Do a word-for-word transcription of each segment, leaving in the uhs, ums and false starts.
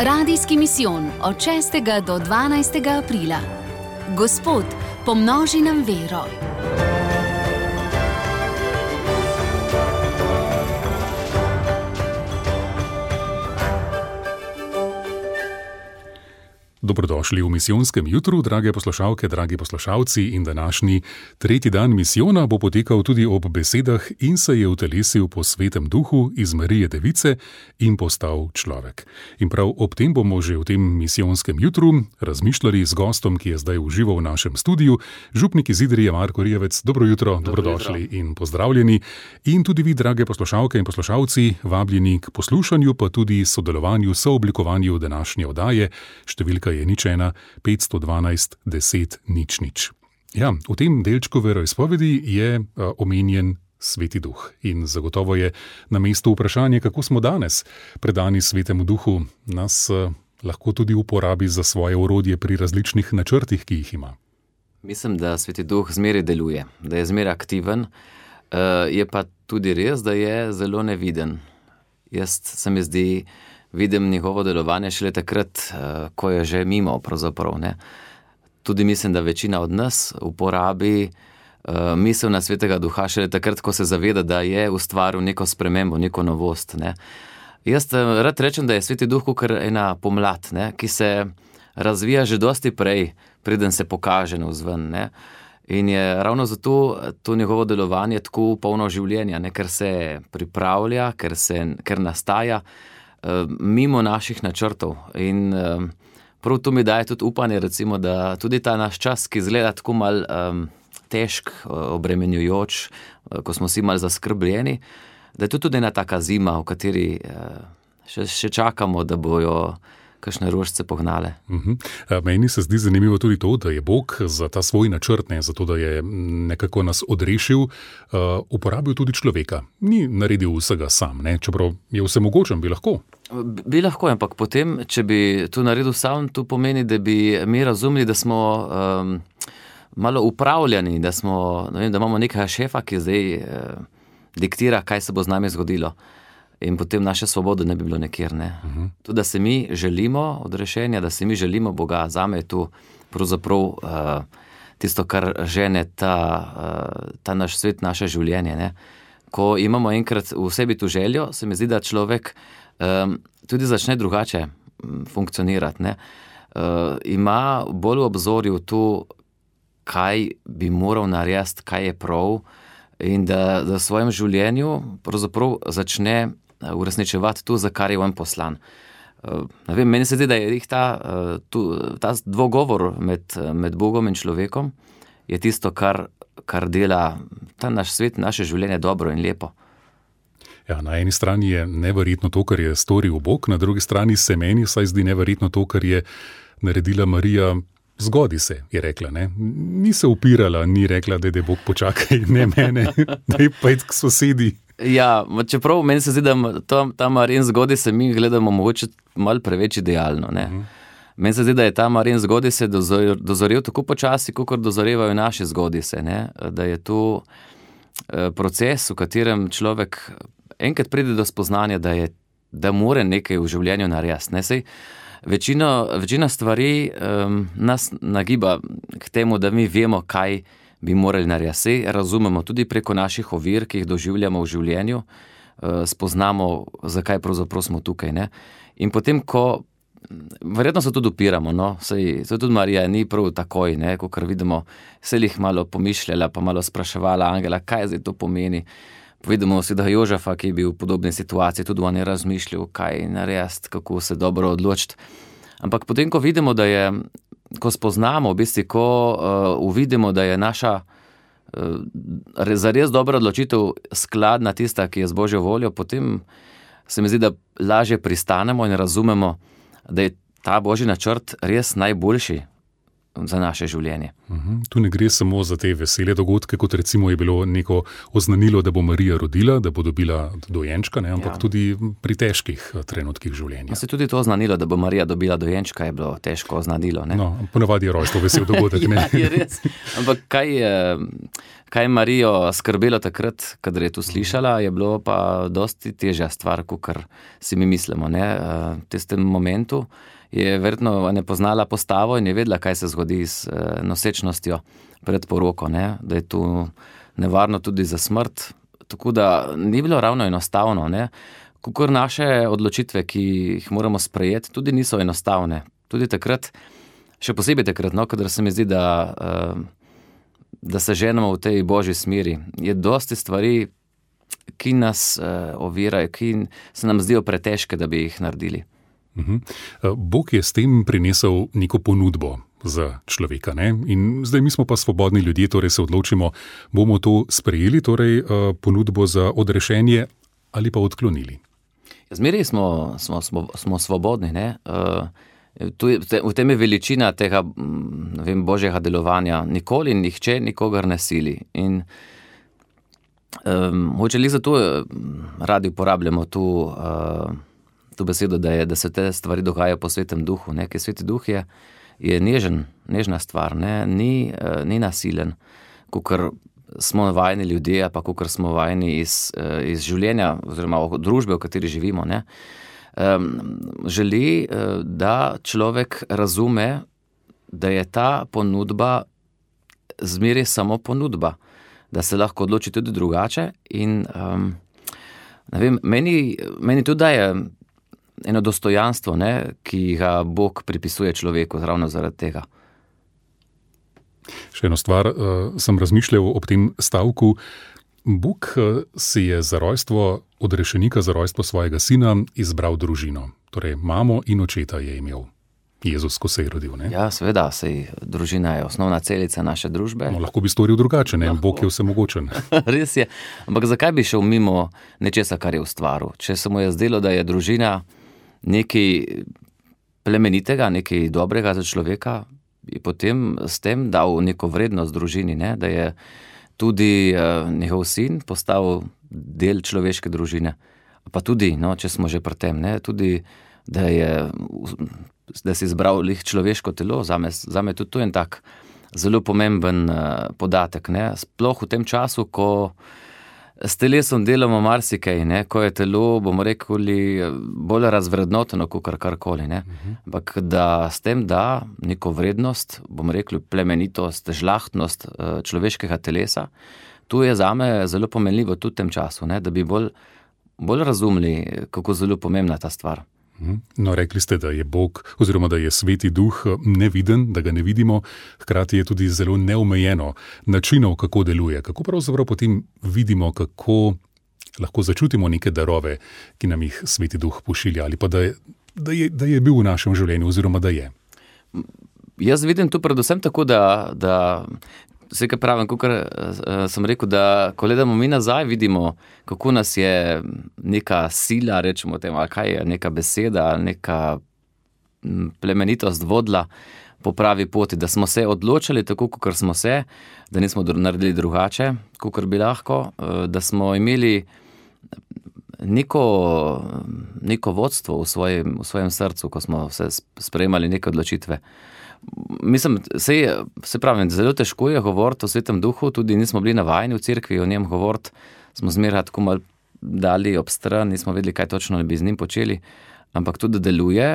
Radijski misijon od šestega do dvanajstega aprila. Gospod, pomnoži nam vero. Dobrodošli v misijonskem jutru, drage poslušalke, dragi poslušalci, in današnji tretji dan misijona bo potekal tudi ob besedah in se je utelesil po svetem duhu iz Marije Device in postal človek. In prav ob tem bomo že v tem misijonskem jutru razmišljali z gostom, ki je zdaj v živo v našem studiu, župnik iz Idrije Marko Rijevec. Dobro jutro, Dobro dobrodošli jutro. In pozdravljeni. In tudi vi, drage poslušalke in poslušalci, vabljeni k poslušanju, pa tudi sodelovanju, sooblikovanju današnje oddaje. Številka je nič ena, petsto dvanajst, deset, nič nič. Ja, v tem delčku veroizpovedi je uh, omenjen Sveti duh in zagotovo je na mestu vprašanje, kako smo danes predani Svetemu duhu, nas uh, lahko tudi uporabi za svoje orodje pri različnih načrtih, ki jih ima. Mislim, da Sveti duh zmeraj deluje, da je zmeraj aktiven, uh, je pa tudi res, da je zelo neviden. Jaz se mi zdi, vidim njegovo delovanje šele takrat, ko je že mimo, pravzaprav, ne. Tudi mislim, da večina od nas uporabi uh, misel na Svetega duha šele takrat, ko se zaveda, da je ustvaril neko spremembo, neko novost, ne. Jaz rad rečem, da je Sveti duh kakor ena pomlad, ne, ki se razvija že dosti prej, preden se pokaže navzven, ne. In je ravno zato to njegovo delovanje tako polno življenja, ne, ker se pripravlja, ker, se, ker nastaja mimo naših načrtov. In um, prav to mi daje tudi upanje, recimo, da tudi ta naš čas, ki izgleda tako mal um, težk, obremenjujoč, ko smo vsi mal zaskrbljeni, da je to tudi ena taka zima, v kateri uh, še, še čakamo, da bojo kakšne rožice pognale. Uh-huh. Meni se zdi zanimivo tudi to, da je Bog za ta svoj načrt, ne, zato da je nekako nas odrešil, uh, uporabil tudi človeka. Ni naredil vsega sam, ne, čeprav je vsemogočen, bi lahko. Bi lahko, ampak potem, če bi to naredil sam, to pomeni, da bi mi razumeli, da smo um, malo upravljani, da, smo, ne vem, da imamo nekega šefa, ki zdaj uh, diktira, kaj se bo z nami zgodilo. In potem naše svobode ne bi bilo nekjer, ne. Uh-huh. To, da se mi želimo odrešenja, da se mi želimo Boga, zame je to pravzaprav uh, tisto, kar žene ta, uh, ta naš svet, naše življenje, ne. Ko imamo enkrat v sebi tu željo, se mi zdi, da človek um, tudi začne drugače funkcionirati, ne. Uh, ima bolj v obzorju to, kaj bi moral narediti, kaj je prav, in da, da v svojem življenju pravzaprav začne uresničevati to, za kar je on poslan. Ne vem, meni se zdi, da je ta, tu, ta dvogovor med, med Bogom in človekom je tisto, kar, kar dela ta naš svet, naše življenje dobro in lepo. Ja, na eni strani je neverjetno to, kar je storil Bog, na drugi strani se meni vsaj zdi neverjetno to, kar je naredila Marija. Zgodi se, je rekla, ne. Ni se upirala, ni rekla, da je Bog počakaj, ne mene, da je pojdi k sosedi. Ja, čeprav meni se zdi, da ta, ta Marijin zgodi se mi gledamo mogoče malo preveč idealno, ne. Uh-huh. Meni se zdi, da je ta Marijin zgodi se dozorel, dozorel tako počasi, kakor dozorevajo naše zgodi se, ne. Da je to proces, v katerem človek enkrat pride do spoznanja, da je, da more nekaj v življenju narediti, ne. Sej večino, večina stvari um, nas nagiba k temu, da mi vemo, kaj bi morali narediti. Sej razumemo tudi preko naših ovir, ki jih doživljamo v življenju, uh, spoznamo, zakaj pravzaprav smo tukaj, ne. In potem, ko verjetno se tudi upiramo, no, sej, sej tudi Marija ni prav takoj, ne, kakor vidimo, se jih malo pomišljala, pa malo spraševala angela, kaj zdaj to pomeni. Vidimo si, da Jožefa, ki je bil v podobni situaciji, tudi on je razmišljal, kaj narediti, kako se dobro odločiti. Ampak potem, ko vidimo, da je, ko spoznamo, v bistvu, ko uh, uvidimo, da je naša uh, zares dobra odločitev skladna tista, ki je z Božjo voljo, potem se mi zdi, da lažje pristanemo in razumemo, da je ta Božji načrt res najboljši za naše življenje. Uhum. Tu ne gre samo za te vesele dogodke, kot recimo je bilo neko oznanilo, da bo Marija rodila, da bo dobila dojenčka, ne, ampak ja. Tudi pri težkih trenutkih življenja. Se tudi to oznanilo, da bo Marija dobila dojenčka, je bilo težko oznanilo, ne? No, ponavadi je rojstvo vesel dogodek, ne? Ja, je res. Ampak kaj, kaj Marijo skrbelo takrat, kadar je to slišala, je bilo pa dosti težja stvar, kakor si mi mislimo. Ne? V tistem momentu je verjetno ne poznala postavo in je vedela, kaj se zgodi s nosečnostjo pred poroko, ne? Da je to nevarno tudi za smrt. Tako da ni bilo ravno enostavno. Ne? Kakor naše odločitve, ki jih moramo sprejeti, tudi niso enostavne. Tudi takrat, še posebej takrat, no, kadar se mi zdi, da, da se ženemo v tej božji smeri. Je dosti stvari, ki nas ovirajo, ki se nam zdijo pretežke, da bi jih naredili. Bog je s tem prinesel neko ponudbo za človeka, ne? In zdaj mi smo pa svobodni ljudje, torej se odločimo, bomo to sprejeli, torej ponudbo za odrešenje ali pa odklonili. Zmeraj smo, smo, smo, smo svobodni, ne? V tem je veličina tega, ne vem, božjega delovanja. Nikoli nihče nikogar ne sili. In um, hoče li zato radi uporabljamo tu, uh, tu besedo, da, je, da se te stvari dogajajo po svetem duhu. Ne? Ker sveti duh je, je nežen, nežna stvar, ne? Ni, uh, ni nasilen, kakor smo vajeni ljudje, pa kakor smo vajeni iz, iz življenja oziroma družbe, v kateri živimo. Ne? Um, želi, da človek razume, da je ta ponudba zmeraj samo ponudba, da se lahko odloči tudi drugače in um, ne vem, meni, meni tudi daje eno dostojanstvo, ne, ki ga Bog pripisuje človeku ravno zaradi tega. Še eno stvar, uh, sem razmišljal ob tem stavku. Bog uh, si je za rojstvo odrešenika, za rojstvo svojega sina izbral družino. Torej, mamo in očeta je imel Jezus, ko se je rodil. Ne? Ja, seveda, sej družina je osnovna celica naše družbe. No, lahko bi storil drugače, ne? Bog je vsemogočen. Res je, ampak zakaj bi šel mimo nečesa, kar je ustvaril? Če se mu je zdelo, da je družina nekaj plemenitega, nekaj dobrega za človeka, je potem s tem dal neko vrednost družini, ne? Da je tudi uh, njegov sin postal del človeške družine. Pa tudi, no, če smo že pri tem, ne? Tudi, da je, da si izbral lih človeško telo, zame, zame tudi to je en tak zelo pomemben uh, podatek, ne? Sploh v tem času, ko s telesom delamo marsikaj, ne? Ko je telo, bomo rekli, bolj razvrednoteno, kot karkoli, ne? Ampak da s tem da neko vrednost, bomo rekli, plemenitost, žlahtnost človeškega telesa, to je zame zelo pomenljivo tudi v tem času, ne? Da bi bolj, bolj razumeli, kako zelo pomembna ta stvar. No, rekli ste, da je Bog, oziroma da je sveti duh neviden, da ga ne vidimo, hkrati je tudi zelo neomejeno načinov, kako deluje. Kako pravzaprav potem vidimo, kako lahko začutimo neke darove, ki nam jih sveti duh pošilja, ali pa da je, da je, da je bil v našem življenju, oziroma da je? Jaz vidim tu predvsem tako, da, da vse, kar pravim, kakor sem rekel, da ko gledamo mi nazaj, vidimo, kako nas je neka sila, rečemo temu, ali kaj je, neka beseda, neka plemenitost vodila po pravi poti, da smo se odločili tako, kakor smo se, da nismo naredili drugače, kakor bi lahko, da smo imeli neko, neko vodstvo v svojem, v svojem srcu, ko smo se sprejemali neke odločitve. Mislim, se, se pravim, zelo težko je govoriti o svetem duhu, tudi nismo bili navajeni v cerkvi o njem govoriti, smo zmeraj tako malo dali ob stran, nismo vedeli, kaj točno bi z njim počeli, ampak tudi deluje,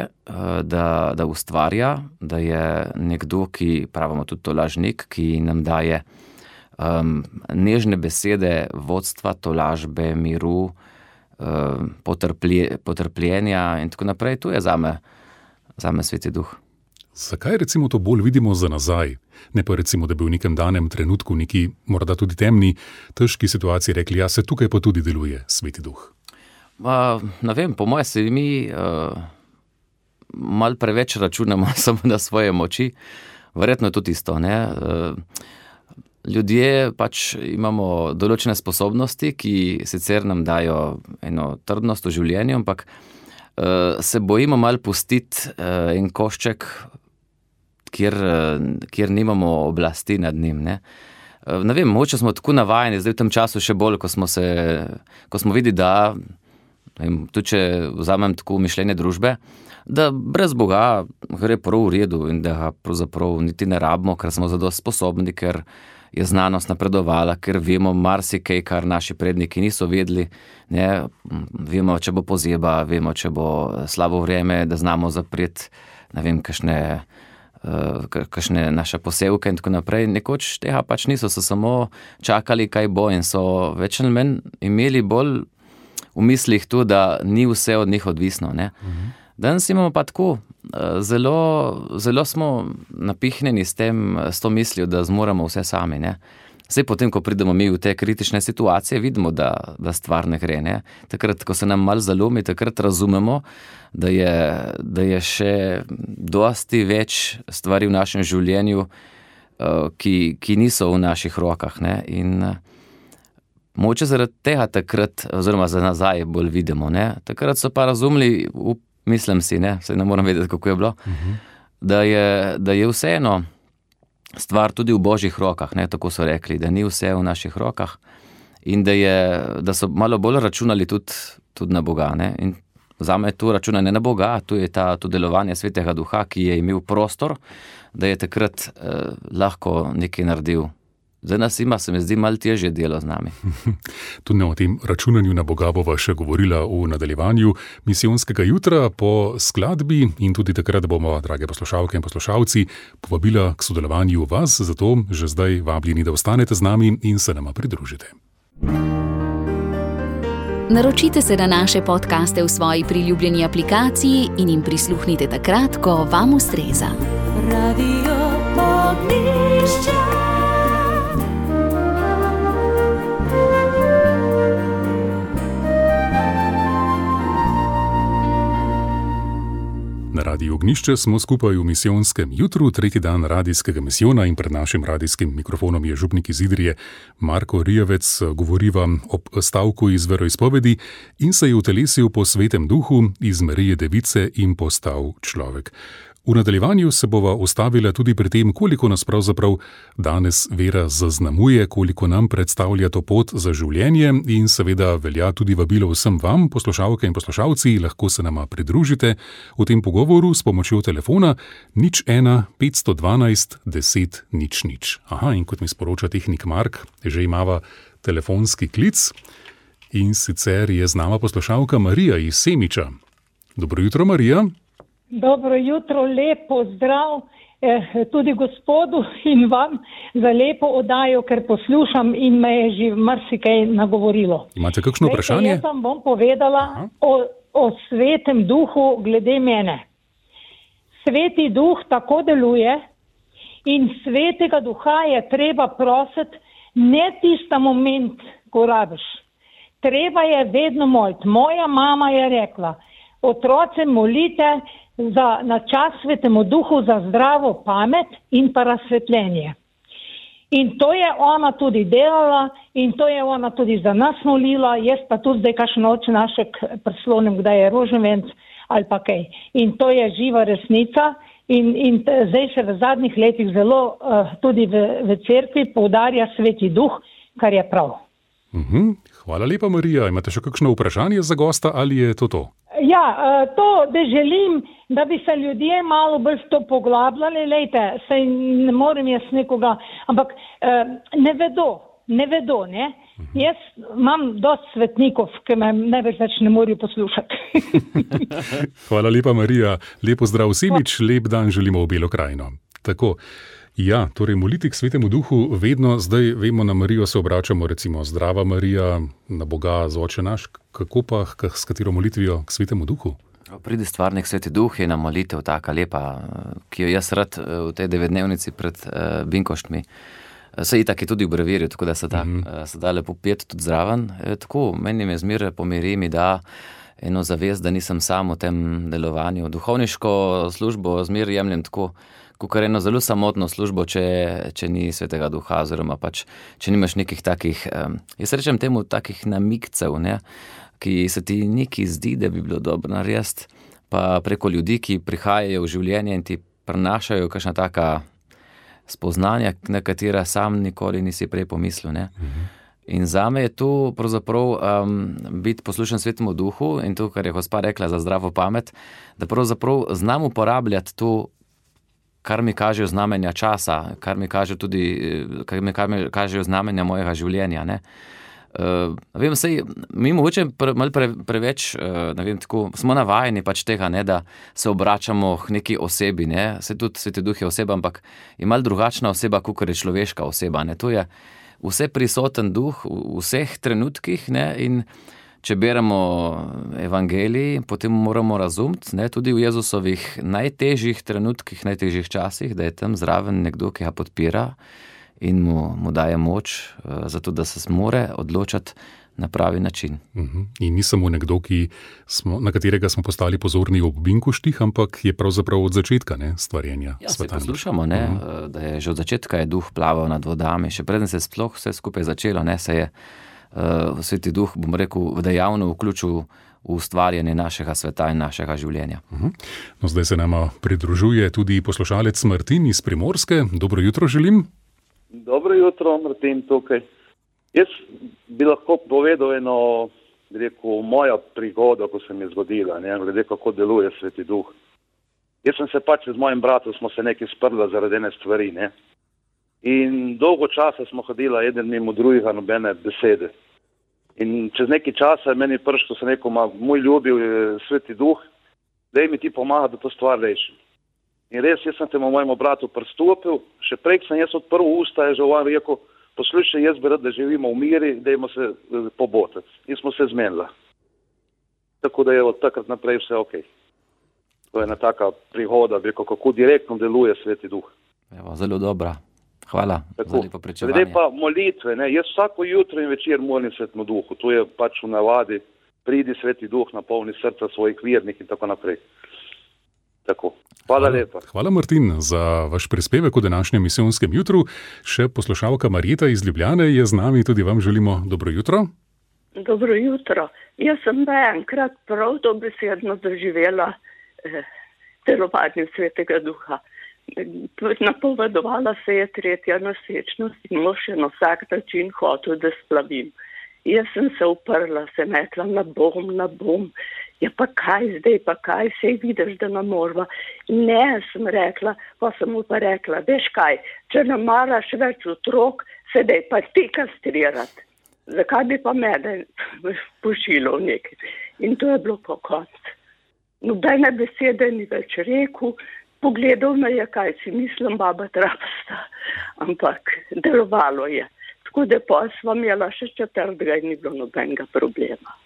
da, da ustvarja, da je nekdo, ki pravimo tudi to lažnik, ki nam daje um, nežne besede, vodstva, tolažbe, miru, um, potrplje, potrpljenja in tako naprej. To je zame, zame sveti duh. Zakaj recimo to bolj vidimo za nazaj? Ne pa recimo, da bi v nekem danem trenutku, neki morda tudi temni, težki situaciji rekli, ja, se tukaj pa tudi deluje sveti duh. Uh, ne vem, po moje se mi uh, malo preveč računamo samo na svoje moči. Verjetno je to tisto, ne? Uh, ljudje pač imamo določene sposobnosti, ki sicer nam dajo eno trdnost v življenju, ampak uh, se bojimo malo pustiti uh, en košček, Kjer, kjer nimamo oblasti nad njim. Ne, ne vem, mogoče smo tako navajeni, zdaj v tem času še bolj, ko smo, se, ko smo videli, da, vem, tudi če vzamem tako mišljenje družbe, da brez Boga gre prav v redu in da ga pravzaprav niti ne rabimo, ker smo zadosti sposobni, ker je znanost napredovala, ker vemo marsikaj, kar naši predniki niso vedeli. Ne? Vemo, če bo pozeba, vemo, če bo slabo vreme, da znamo zapreti, ne vem, kakšne, uh, kakšne naše posevke in tako naprej. Nekoč tega pač niso, so samo čakali, kaj bo in so več ali manj imeli bolj v mislih to, da ni vse od njih odvisno. Ne? Mhm. Danes imamo pa tako, zelo, zelo smo napihnjeni s tem, s to mislijo, da zmoremo vse sami. Ne? Zdaj potem, ko pridemo mi v te kritične situacije, vidimo, da, da stvar ne gre. Ne? Takrat, ko se nam malo zalomi, takrat razumemo, da je, da je še dosti več stvari v našem življenju, ki, ki niso v naših rokah. Ne? In moče zaradi tega takrat, oziroma za nazaj bolj vidimo. Ne? Takrat so pa razumeli, mislim si, ne, saj ne moram vedeti, kako je bilo, uh-huh. da, je, da je vseeno stvar tudi v Božjih rokah, ne, tako so rekli, da ni vse v naših rokah in da, je, da so malo bolj računali tudi, tudi na Boga. Ne. In zame je to računanje na Boga, tu je ta, to delovanje Svetega Duha, ki je imel prostor, da je takrat eh, lahko nekaj naredil. Zdaj nas ima, se mi zdi, malo težje delo z nami. Tudi o tem računanju na Boga bova še govorila v nadaljevanju misijonskega jutra po skladbi in tudi takrat bomo, drage poslušalke in poslušalci, povabila k sodelovanju vas, zato že zdaj vabljeni, da ostanete z nami in se nama pridružite. Naročite se na naše podcaste v svoji priljubljeni aplikaciji in jim prisluhnite takrat, ko vam ustreza. Radio Ognjišče. Na Radiu Ognjišče smo skupaj v misijonskem jutru, tretji dan radijskega misijona in pred našim radijskim mikrofonom je župnik iz Idrije Marko Rijavec, govoriva ob stavku iz veroizpovedi in se je utelesil po Svetem Duhu iz Marije Device in postal človek. V nadaljevanju se bova ustavila tudi pri tem, koliko nas pravzaprav danes vera zaznamuje, koliko nam predstavlja to pot za življenje in seveda velja tudi vabilo vsem vam, poslušalke in poslušalci, lahko se nama pridružite v tem pogovoru s pomočjo telefona nič ena petsto dvanajst deset nič nič. Aha, in kot mi sporoča tehnik Mark, že imava telefonski klic in sicer je z nama poslušalka Marija iz Semiča. Dobro jutro, Marija. Dobro jutro, lepo zdrav eh, tudi gospodu in vam za lepo oddajo, ker poslušam in me je že marsikaj nagovorilo. Imate kakšno vprašanje? Jaz vam bom povedala o, o Svetem Duhu glede mene. Sveti Duh tako deluje in Svetega Duha je treba prositi ne tista moment, ko rabiš. Treba je vedno moliti. Moja mama je rekla, otroce molite za, na čas Svetemu Duhu za zdravo pamet in pa razsvetljenje. In to je ona tudi delala in to je ona tudi za nas molila, jaz pa tudi zdaj kakšno oče našek prislonim, kdaj je rožnvenc ali pa kaj. In to je živa resnica in, in zdaj se v zadnjih letih zelo uh, tudi v, v cerkvi poudarja Sveti Duh, kar je prav. Mhm. Hvala lepa, Marija. Imate še kakšno vprašanje za gosta ali je to to? Ja, to, da želim, da bi se ljudje malo bolj to poglabljali, lejte, saj ne morem jaz nekoga, ampak ne vedo, ne vedo, ne. Jaz imam dosti svetnikov, ki me največ več ne morajo poslušati. Hvala lepa, Marija. Lepo zdrav Semič, lep dan želimo v Belo krajino. Tako. Ja, torej moliti k Svetemu Duhu vedno, zdaj vemo, na Marijo se obračamo, recimo Zdrava Marija, na Boga z Oče naš, kako pa, s katero molitvijo k Svetemu Duhu? Pridi stvarnik Sveti Duh je na molitev taka lepa, ki jo jaz rad v tej devetdnevnici pred uh, Binkoštmi. Se itak je tudi v brevirju, tako da se da, mm-hmm. uh, se da lepo peti tudi zraven. E, tako, meni me zmeraj pomiri, mi da eno zavest, da nisem sam v tem delovanju. Duhovniško službo zmeraj jemljem tako, kakor eno zelo samotno službo, če, če ni Svetega Duha, oziroma pač, če nimaš nekih takih, um, jaz rečem temu, takih namigcev, ne, ki se ti nekaj zdi, da bi bilo dobro narediti, pa preko ljudi, ki prihajajo v življenje in ti prenašajo kakšna taka spoznanja, na katera sam nikoli nisi prej pomislil. Ne. Mhm. In zame je to pravzaprav um, biti poslušen Svetemu Duhu in to, kar je gospa rekla za zdravo pamet, da pravzaprav znam uporabljati to kar mi kažejo znamenja časa, kar mi kažejo tudi, kar mi kažejo znamenja mojega življenja, ne. Uh, vem, sej, mi mogoče pre, malo pre, preveč, uh, ne vem, tako, smo navajeni pač tega, ne, da se obračamo k neki osebi, ne, se tudi Sveti Duh je oseba, ampak je malo drugačna oseba, kakor je človeška oseba, ne, to je vse prisoten duh v vseh trenutkih, ne, in če beremo evangelij, potem moramo razumeti, ne, tudi v Jezusovih najtežjih trenutkih, najtežjih časih, da je tam zraven nekdo, ki ga podpira in mu, mu daje moč, uh, zato da se more odločati na pravi način. Uh-huh. In ni samo nekdo, ki smo, na katerega smo postali pozorni ob Binkoštih, ampak je pravzaprav od začetka, ne, stvarjenja ja, sveta. Ja, se poslušamo, ne, uh-huh. da je že od začetka je duh plaval nad vodami, še preden se sploh vse skupaj začelo, ne, se je uh, Sveti Duh, bom rekel, dejavno vključil v ustvarjanje našega sveta in našega življenja. Uh-huh. No, zdaj se nama pridružuje tudi poslušalec Martin iz Primorske. Dobro jutro želim. Dobro jutro, Martin tukaj. Jaz bi lahko povedal eno, bi rekel, moja prigoda, ko se mi je zgodila, ne, glede kako deluje Sveti Duh. Jaz sem se pač z mojim bratom, smo se nekaj sprla zaradi ene stvari, ne. In dolgo časa smo hodila eden mimo drugega, nobene besede. In čez nekaj časa je meni prišlo, se neko, ma, moj ljubil Sveti Duh, daj mi ti pomaga, da to stvar rešim. In res, jaz sem temu mojemu bratu pristopil, še prej sem jaz odprl usta, je že on rekel, poslušaj, jaz bi rad, da živimo v miri, dajmo se pobotati. In smo se zmenili. Tako da je od takrat naprej vse ok. To je ena taka prihoda, bi rekel, kako direktno deluje Sveti Duh. Evo, zelo dobra. Hvala tako, za lepo pričevanje. Glede pa molitve, ne, jaz vsako jutro in večer molim Svetemu Duhu. To je pač v navadi, pridi Sveti Duh, napolni srca svojih vernih in tako naprej. Tako. Hvala lepa. Hvala, Martin, za vaš prispevek v današnjem misijonskem jutru. Še poslušalka Marjeta iz Ljubljane je z nami, tudi vam želimo dobro jutro. Dobro jutro. Jaz sem da enkrat prav dobesedno doživela eh, delovanje Svetega Duha. Napovedovala se je tretja nosečnost in mož je na vsak način hotel, da splavim. Jaz sem se uprla, sem rekla, na bom, na bom. Ja, pa kaj zdaj, pa kaj, sej vidiš, da ne morva. Ne, sem rekla, pa sem mu pa rekla, veš kaj, če ne maraš več otrok, sedaj pa ti kastrirati. Zakaj bi pa mene pošilo v nekaj? In to je bilo po koncu. Nobene besede ni več rekel, pogledal me je, kaj si mislim, baba trapasta, ampak delovalo je. Tako da pa sva imela še četrtega in ni bilo nobenega problema.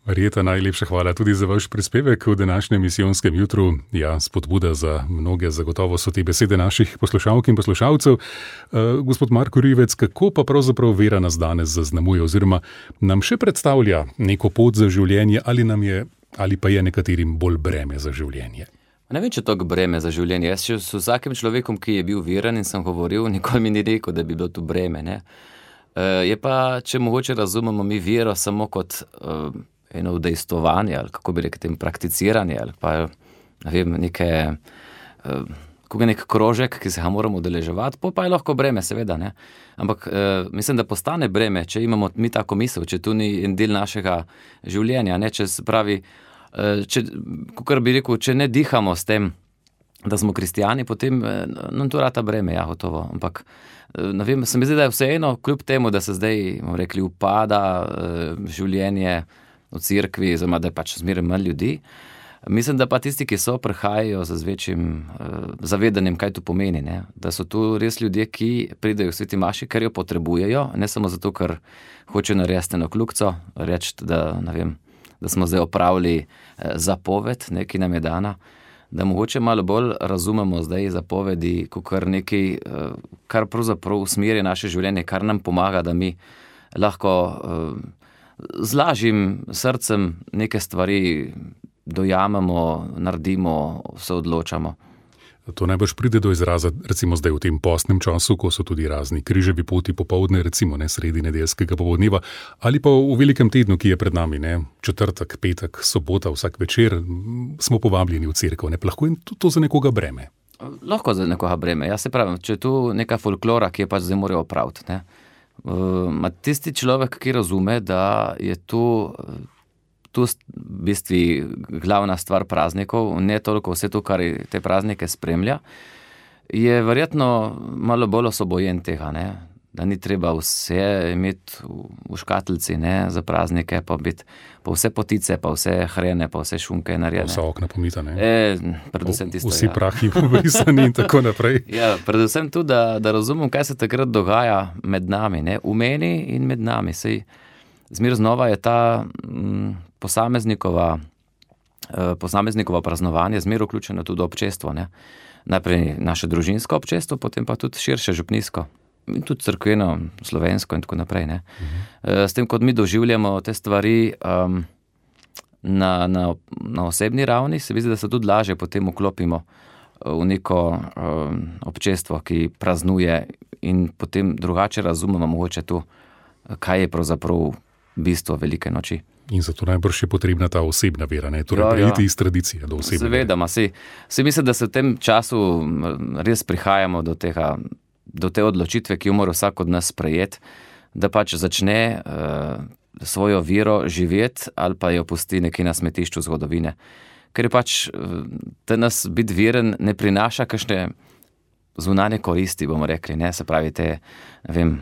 Marjeta, najlepša hvala tudi za vaš prispevek v današnjem misijonskem jutru. Ja, spodbuda za mnoge, zagotovo so te besede naših poslušalk in poslušalcev. Uh, gospod Marko Rivec, kako pa pravzaprav vera nas danes zaznamuje oziroma nam še predstavlja neko pot za življenje ali, nam je, ali pa je nekaterim bolj breme za življenje? Ne vem, če to breme za življenje. Jaz še s vsakim človekom, ki je bil veren in sem govoril, nikoli mi ni rekel, da bi bilo to breme. Ne? Uh, je pa, če mogoče razumemo mi vero samo kot uh, eno udejstvovanje, ali kako bi rekel, tem prakticiranje, ali pa ne vem, neke, uh, kako je nek krožek, ki se ga moramo udeleževati, pa, pa je lahko breme, seveda. Ne? Ampak uh, mislim, da postane breme, če imamo mi tako misel, če tu ni en del našega življenja, ne? Če se pravi, Če, kakor bi rekel, če ne dihamo s tem, da smo kristijani, potem nam to rata breme, ja, gotovo. Ampak, ne vem, se mi zdi, da je vseeno, kljub temu, da se zdaj, bomo rekli, upada življenje v cerkvi, oziroma da je pač zmeraj manj ljudi, mislim, da pa tisti, ki so, prihajajo z večjim zavedanjem, kaj to pomeni, ne? Da so tu res ljudje, ki pridejo v sveti maši, ker jo potrebujejo, ne samo zato, ker hočejo narediti eno kljukco, reči, da, ne vem, da smo zdaj opravili zapoved, nekaj nam je dana, da mogoče malo bolj razumemo zdaj zapovedi, kot nekaj, kar pravzaprav usmerja naše življenje, kar nam pomaga, da mi lahko z lažjim srcem neke stvari dojamemo, naredimo, se odločamo. To najbrž pride do izraza, recimo zdaj v tem postnem času, ko so tudi razni križevi poti popoldne, recimo ne sredi nedeljskega popoldneva, ali pa v velikem tednu, ki je pred nami, ne, četrtek, petek, sobota, vsak večer, smo povabljeni v cerkev, ne, lahko je to, to za nekoga breme. Lahko za nekoga breme, jaz se pravim, če je tu neka folklora, ki je pač zdaj morajo opraviti, ne, uh, tisti človek, ki razume, da je tu Tu v bistvu glavna stvar praznikov, ne toliko vse to, kar te praznike spremlja, je verjetno malo bolj osvobojen tega, ne? Da ni treba vse imeti v, v škatlici, ne? Za praznike, pa, biti, pa vse potice, pa vse hrene, pa vse šunke narejene. Vsa okna pomita, ne? E, predvsem tisto, Vsi ja. prahi pobrisani in tako naprej. Ja, predvsem tudi, da, da razumem, kaj se takrat dogaja med nami, ne? V meni in med nami. Sej, zmer znova je ta m, posameznikova, eh, posameznikova praznovanje zmer vključeno tudi v občestvo, ne? Najprej naše družinsko občestvo, potem pa tudi širše župnijsko. In tudi crkveno, slovensko in tako naprej. Ne? Uh-huh. S tem, kot mi doživljamo te stvari um, na, na, na osebni ravni, se vidi, da se tudi lažje potem vklopimo v neko um, občestvo, ki praznuje in potem drugače razumemo mogoče to, kaj je pravzaprav bistvo velike noči. In zato najbrž je potrebna ta osebna vera, ne? Torej ja, prejiti ja. iz tradicije do osebne Seveda, vere. Se, se mislim, da se v tem času res prihajamo do tega, do te odločitve, ki jo mora vsak od nas sprejeti, da pač začne uh, svojo vero živeti ali pa jo pusti nekje na smetišču zgodovine. Ker je pač, da nas biti veren ne prinaša kakšne zunanje koristi, bomo rekli, ne, se pravi te, ne vem,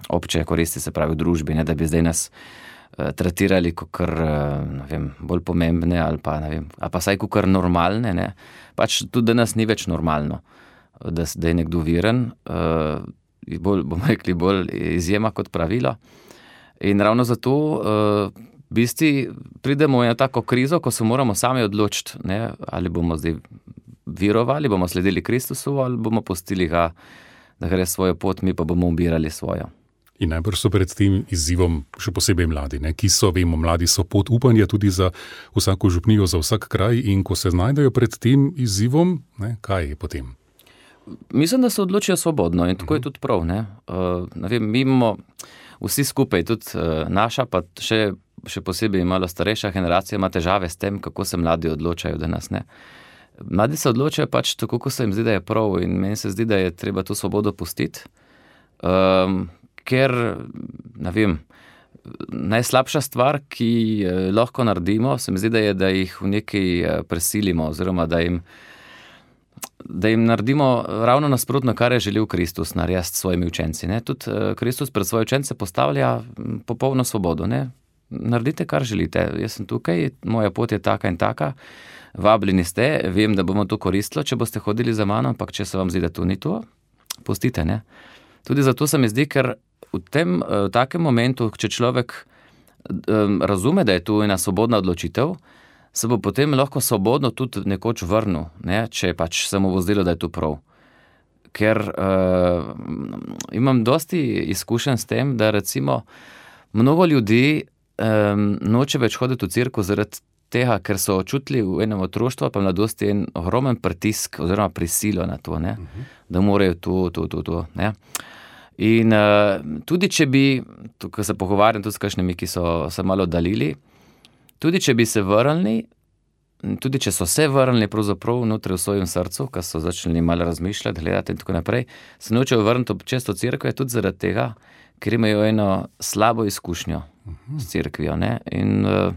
obče koristi, se pravi v družbi, ne, da bi zdaj nas uh, tretirali kakor, uh, ne vem, bolj pomembne ali pa, ne vem, ali pa saj kakor normalne, ne, pač tudi da nas ni več normalno. Da, da je nekdo veren, uh, bolj, bomo rekli, bolj izjema kot pravilo. In ravno zato uh, v bistvu pridemo v eno tako krizo, ko se moramo sami odločiti, ne, ali bomo zdaj verovali, bomo sledili Kristusu ali bomo pustili ga, da gre svojo pot, mi pa bomo ubirali svojo. In najbrž so pred tem izzivom še posebej mladi, ne, ki so, vemo, mladi so pot upanja tudi za vsako župnijo, za vsak kraj in ko se znajdejo pred tem izzivom, ne, kaj je potem? Mislim, da se odločijo svobodno in tako je tudi prav. Ne? Uh, ne vem, mi imamo vsi skupaj, tudi uh, naša, pa še, še posebej malo starejša generacija ima težave s tem, kako se mladi odločajo danes. Ne? Mladi se odločajo pač tako, kako se jim zdi, da je prav in meni se zdi, da je treba to svobodo pustiti, um, ker, ne vem, najslabša stvar, ki uh, lahko naredimo, se mi zdi, da je, da jih v nekaj uh, presilimo oziroma da jim da jim naredimo ravno nasprotno, kar je želel Kristus narediti s svojimi učenci. Ne? Tudi Kristus pred svoje učence postavlja popolno svobodo. Ne? Naredite, kar želite. Jaz sem tukaj, moja pot je taka in taka, vabljeni ste, vem, da bomo to koristilo, če boste hodili za mano, ampak če se vam zdi, da to ni to, pustite. Ne? Tudi zato se mi zdi, ker v tem v takem momentu, če človek um, razume, da je to ena svobodna odločitev, se bo potem lahko svobodno tudi nekoč vrnil, ne? Če pač se mu bo zdelo, da je to prav. Ker uh, imam dosti izkušenj s tem, da recimo mnogo ljudi um, noče več hoditi v cerkev zaradi tega, ker so čutili v enem otroštvu pa mladosti en ogromen pritisk oziroma prisilo na to, ne? Uh-huh. Da morajo to, to, to, to. Ne? In uh, tudi če bi, tukaj se pogovarjam tudi s kakšnimi, ki so se malo oddalili, tudi če bi se vrnili, tudi če so se vrnili pravzaprav notri v svojem srcu, ko so začeli malo razmišljati, gledati in tako naprej, se nočejo vrniti ob često cerkve tudi zaradi tega, ker imajo eno slabo izkušnjo uh-huh. s cerkvijo. Ne? In uh,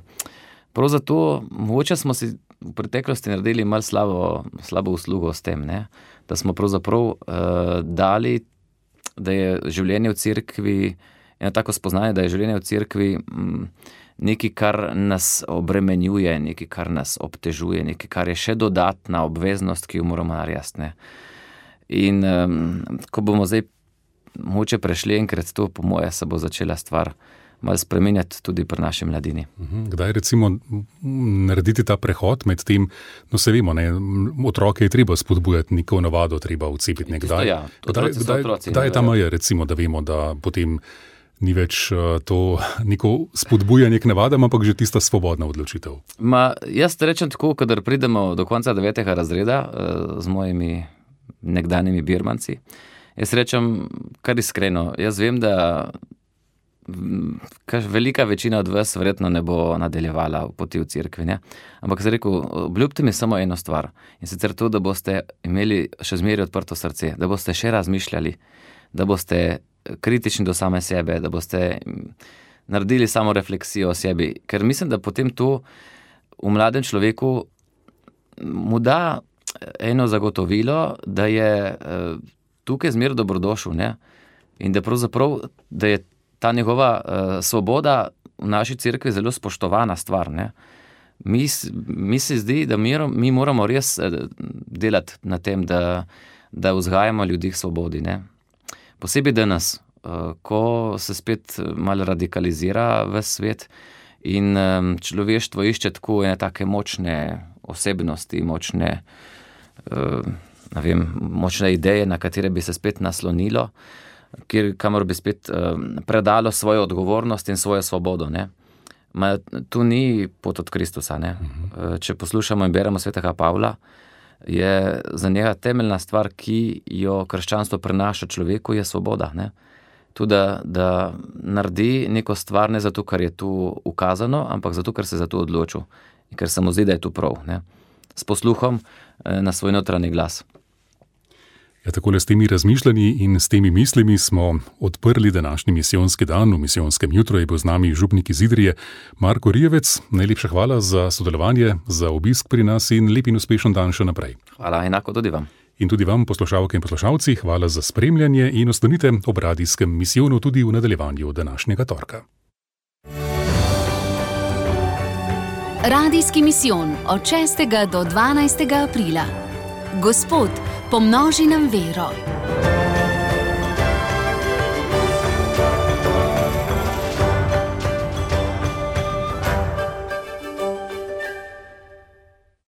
prav zato, mogoče smo si v preteklosti naredili malo slabo, slabo uslugo s tem, ne? Da smo pravzaprav uh, dali, da je življenje v cerkvi, eno tako spoznanje, da je življenje v cerkvi mm, nekaj, kar nas obremenjuje, nekaj, kar nas obtežuje, nekaj, kar je še dodatna obveznost, ki jo moramo narediti. In um, ko bomo zdaj moče prešli enkrat to, po moje, se bo začela stvar malo spremenjati tudi pri naši mladini. Kdaj recimo narediti ta prehod med tem, no se vemo, ne, otroke je treba spodbujati, neko navado treba vcepiti nekdaj. Ja, kdaj kdaj, kdaj je ta meja, recimo, da vemo, da potem ni več to neko spodbujanje k navadam, ampak že tista svobodna odločitev. Ma, jaz rečem tako, kadar pridemo do konca devetega razreda z mojimi nekdanjimi birmanci, jaz rečem kar iskreno, jaz vem, da velika večina od vas verjetno ne bo nadaljevala v poti v cerkvi, ne? Ampak sem rekel, obljubite mi samo eno stvar in sicer to, da boste imeli še zmeraj odprto srce, da boste še razmišljali, da boste kritični do same sebe, da boste naredili samo refleksijo o sebi, ker mislim, da potem to v mladem človeku mu da eno zagotovilo, da je uh, tukaj zmer dobrodošel, ne? In da pravzaprav, da je ta njegova uh, svoboda v naši cerkvi zelo spoštovana stvar, ne? Mi, mi se zdi, da mi, mi moramo res uh, delati na tem, da, da vzgajamo ljudi k svobodi, ne? Posebej danes, uh, ko se spet malo radikalizira v svet in um, človeštvo išče tako ene take močne osebnosti, močne, uh, ne vem, močne ideje, na katere bi se spet naslonilo, kjer, kamor bi spet uh, predalo svojo odgovornost in svojo svobodo, ne. Ma, tu ni pot od Kristusa, ne. Uh, če poslušamo in beremo svetega Pavla, je za njega temeljna stvar, ki jo krščanstvo prenaša človeku, je svoboda, ne. Tudi, da, da naredi neko stvar ne zato, ker je tu ukazano, ampak zato, ker se za to odločil in ker se mu zdi, da je to prav, ne. S posluhom eh, na svoj notranji glas. Ja, takole s temi razmišljanji in s temi mislimi smo odprli današnji misijonski dan. V misijonskem jutru je bil z nami župnik iz Idrije Marko Rijevec. Najlepša hvala za sodelovanje, za obisk pri nas in lep in uspešen dan še naprej. Hvala, enako tudi vam. In tudi vam, poslušalke in poslušalci, hvala za spremljanje in ostanite ob radijskem misijonu tudi v nadaljevanju današnjega torka. Radijski misijon od šestega do dvanajstega aprila. Gospod, pomnoži nam vero.